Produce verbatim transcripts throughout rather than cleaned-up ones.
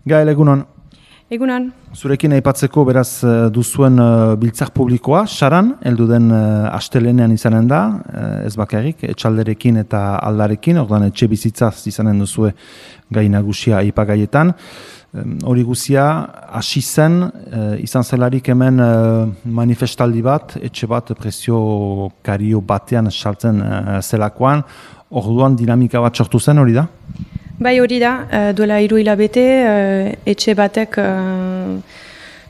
Gael, egunon. Egunon. Zurekin aipatzeko beraz duzuen uh, biltzar publikoa, Saran, heldu den uh, astelenean izanen da, uh, ez bakarrik, etxalderekin eta aldarekin, orduan etxe bizitzaz izanen duzue gai nagusia aipagaietan. Um, hori guzia, hasi zen, uh, izan zelarik hemen uh, manifestaldi bat, etxe bat prezio kario batean saltzen uh, zelakoan, orduan dinamika bat sortu zen, hori da? Bai, hori da, duela hiru hilabete, etxe batek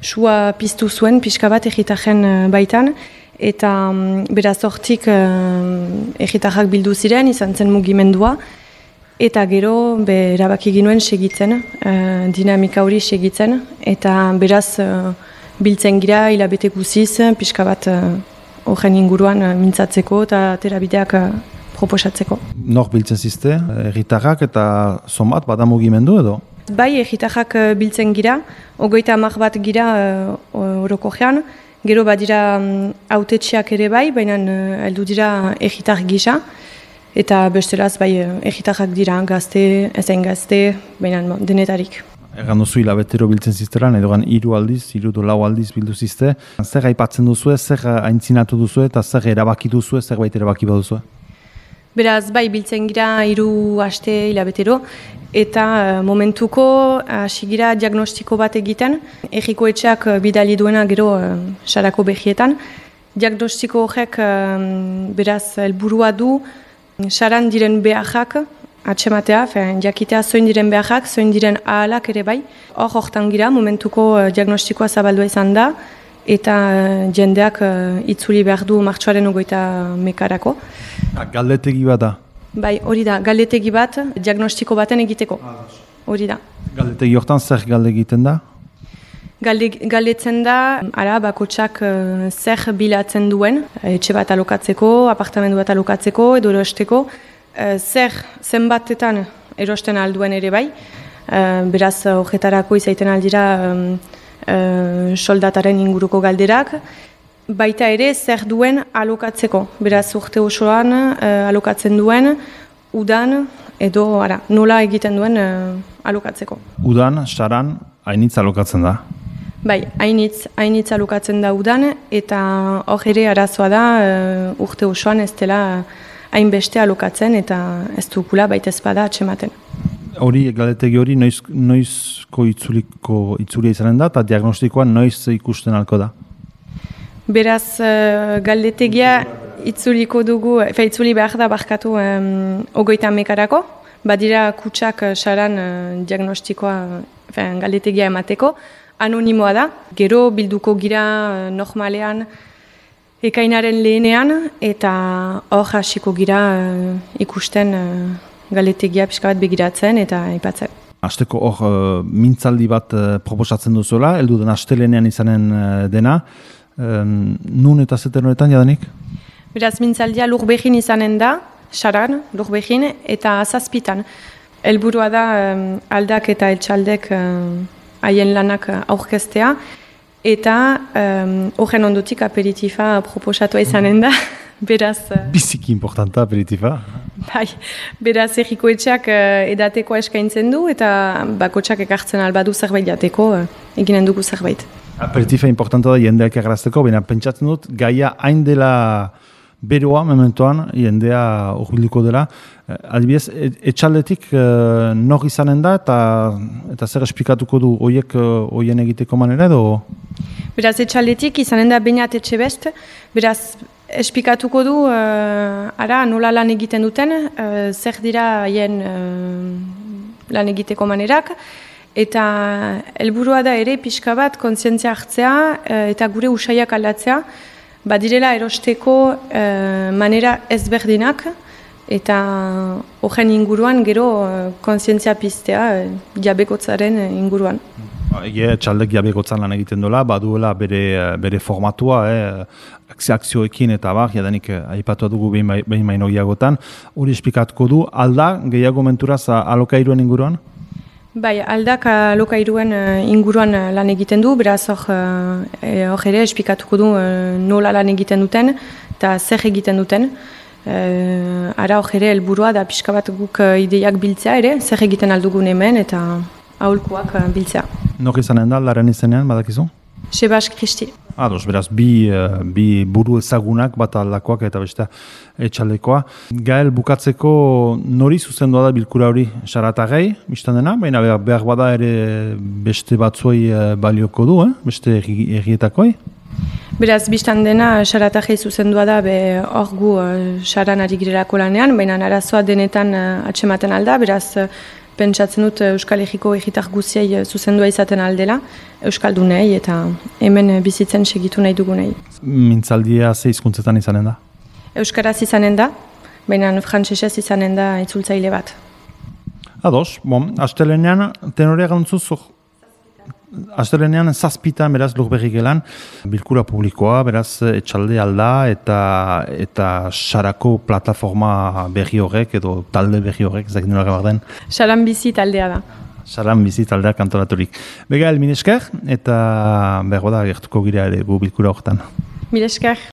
sua piztu zuen, pixka bat egitaren baitan, eta beraz hortik egitarrak bildu ziren, izan zen mugimendua, eta gero erabaki ginuen segitzen, dinamika hori segitzen, eta beraz biltzen gira hilabete guziz, pixka bat horren inguruan mintzatzeko eta terabideak proposatzeko. Nor biltzen zizte, erritarrak eta zonbat, bada mugimendu edo? Bai, erritarrak biltzen gira, ogoita amak bat gira orokojean, gero badira autetxeak ere bai, baina heldu dira erritar gisa, eta bestelaz bai erritarrak dira, gazte, ezen gazte, baina denetarik. Egan duzu hilabetero biltzen zizteran, edo gan hiru aldiz, hiru do lau aldiz bildu zizte. Zer aipatzen duzue, zer aintzinatu duzue eta zer erabaki duzue, zer baita erabaki baduzue? Beraz, bai, biltzen gira hiru aste hilabetero, eta uh, momentuko hasi gira diagnostiko bat egiten, erriko etxeak bidali duena gero uh, sarako behietan. Diagnostiko horrek uh, beraz helburua du, saran diren beharrak, atxematea, fean, jakitea zoin diren beharrak, zoin diren ahalak ere bai. Hor hortan gira, momentuko uh, diagnostikoa zabaldua izan da, eta uh, jendeak uh, itzuli behar du martxoaren ogoita mekarako. Galdetegi bat da? Bai, hori da, galdetegi bat, diagnostiko baten egiteko. Hori da. Galdetegi hortan zer galde egiten da? Galde, galdetzen da, ara, bakotxak uh, zer bilatzen duen, etxe bat alokatzeko, apartamendu bat alokatzeko, edo erosteko, uh, zer zenbatetan erosten alduen ere bai, uh, beraz horretarako izaiten aldira um, uh, soldataren inguruko galderak, baita ere zer duen alokatzeko, beraz urte osoan uh, alokatzen duen, udan edo ara, nola egiten duen uh, alokatzeko. Udan, saran, hainitz alokatzen da? Bai, hainitz, hainitz alokatzen da udan, eta hor ere arazoa da uh, urte osoan ez dela hainbeste alokatzen eta ez dukula baita ezpada atxematen. Hori, galdetegi hori, noiz, noizko itzuliko itzulia izanen da, eta diagnostikoa noiz ikusten alko da? Beraz, uh, galdetegia itzuliko dugu, fe, itzuli behar da barkatu um, ogoita mekarako, badira kutsak saran uh, diagnostikoa, fe, galdetegia emateko, anonimoa da, gero bilduko gira uh, normalean ekainaren lehenean, eta hor hasiko gira uh, ikusten uh, galdetegia pixka bat begiratzen eta aipatzen. Asteko hor uh, mintzaldi bat uh, proposatzen duzuela, heldu den astelenean izanen uh, dena, Um, nun eta zeter honetan jadanik? Beraz, mintzaldia Lurbehin izanen da, Saran, Lurbehin, eta Zazpitan. Helburua da um, aldak eta etxaldek haien um, lanak aurkeztea, eta horren um, ondotik aperitifa proposatua izanen da. Beraz, uh, biziki importanta aperitifa. Bai, beraz erriko etxeak uh, edateko eskaintzen du, eta bakotxak ekartzen albadu zerbait jateko, uh, eginen dugu zerbait. Aperitifa importanta da jendeak egarazteko, baina pentsatzen dut, gaia hain dela beroa, mementoan, jendea urbilduko dela. Adibidez, etxaldetik uh, nor izanen da, eta, eta zer esplikatuko du hoiek hoien uh, egiteko manera edo? Beraz, etxaldetik izanen da bainat etxe best, beraz, esplikatuko du, uh, ara, nola lan egiten duten, uh, zer dira haien uh, lan egiteko manerak, eta helburua da ere pixka bat kontzientzia hartzea eta gure usaiak aldatzea, badirela erosteko e, manera ezberdinak eta horren inguruan gero kontzientzia piztea e, jabekotzaren inguruan. Ege, txaldek jabekotzan lan egiten dola, baduela bere, bere formatua, eh, akzioekin eta bar, jadanik aipatu dugu behin baino gehiagotan. Hori esplikatuko du, alda gehiago menturaz alokairuen inguruan? Bai, aldak alokairuen inguruan lan egiten du, beraz hor ere esplikatuko du nola lan egiten duten eta zer egiten duten. Ara hor ere helburua da pixka bat guk ideiak biltzea ere, zer egiten aldugun hemen eta aholkuak uh, biltzea. Nor izanen da, aldaren izenean, badakizu? Sebas Kristi. Ados, beraz, bi, bi buru ezagunak, bat aldakoak eta beste etxaldekoa. Gael, bukatzeko nori zuzendua da bilkura hori Saratagei, biztan dena, baina behar bada ere beste batzuei balioko du, eh? Beste errietakoi? Beraz, biztan dena Saratagei zuzendua da, be hor gu saran ari girelako lanean, baina arazoa denetan atsematen alda, beraz, pentsatzen dut Euskal Herriko egitar guziei zuzendua izaten aldela, Euskaldunei eta hemen bizitzen segitu nahi dugunei. Mintzaldia ze hizkuntzetan izanen da? Euskaraz izanen da, baina frantsesez izanen da itzultzaile bat. Ados, bon, astelenean tenorea gantzuz, astelenean zazpitan, beraz, Lurberri gelan, bilkura publikoa, beraz, etxalde alda eta eta Sarako plataforma berri horrek edo talde berri horrek, ezak nola gabar den. Saran bizi taldea da. Saran bizi taldeak antolaturik. Bega, el minesker, eta bergo da, gertuko gira ere gu bilkura horretan. Milesker.